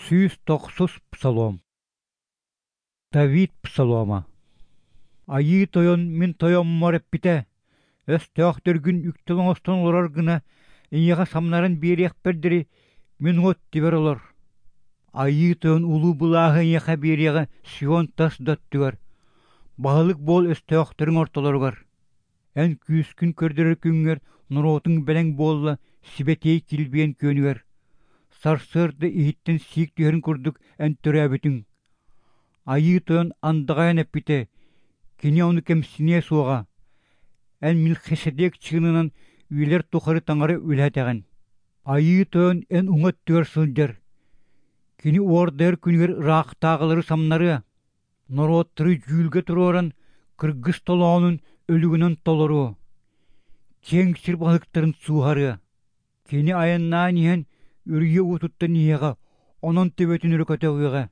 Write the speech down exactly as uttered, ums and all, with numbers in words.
Сүүс токсус псалом. Давид псалома. Айы тойон мин тоёммор эппите. Өс төөхтөргүн үктөлөңостон олорор гына ийега самнарын биэриэх бердери мин от тибер олор. Айы тойон улуу булаагы ийеха биэриэга Сион тас дөттүгөр. Баалык бол өс төөхтөрүң ортолоругар. Эн күүскүн көрдөрөр күңгөр нуроотуң белең болла сибетей килбиен көнүгөр. Сарсырды иһиттен сиик түһөрүн курдук эн төрөбүтүң. Айы тойон андагайан эппите, кини ону кемсине суога. Эн Милхиседек чыынынан үйлер тухары таңары үлэтеген. Айы тойон эн уңат түгөр сылдер. Кини уордер күнүгөр ыраактаагылары самнары. Норооттыры жүүлгө туруоран кыргыз толоонун өлүгүнөн толору. Чеңсир балыктарын суухары. Кини айыннаан иһен үрүйө утуттан иһега, онон төбөтүн өрөкөтөгүгө.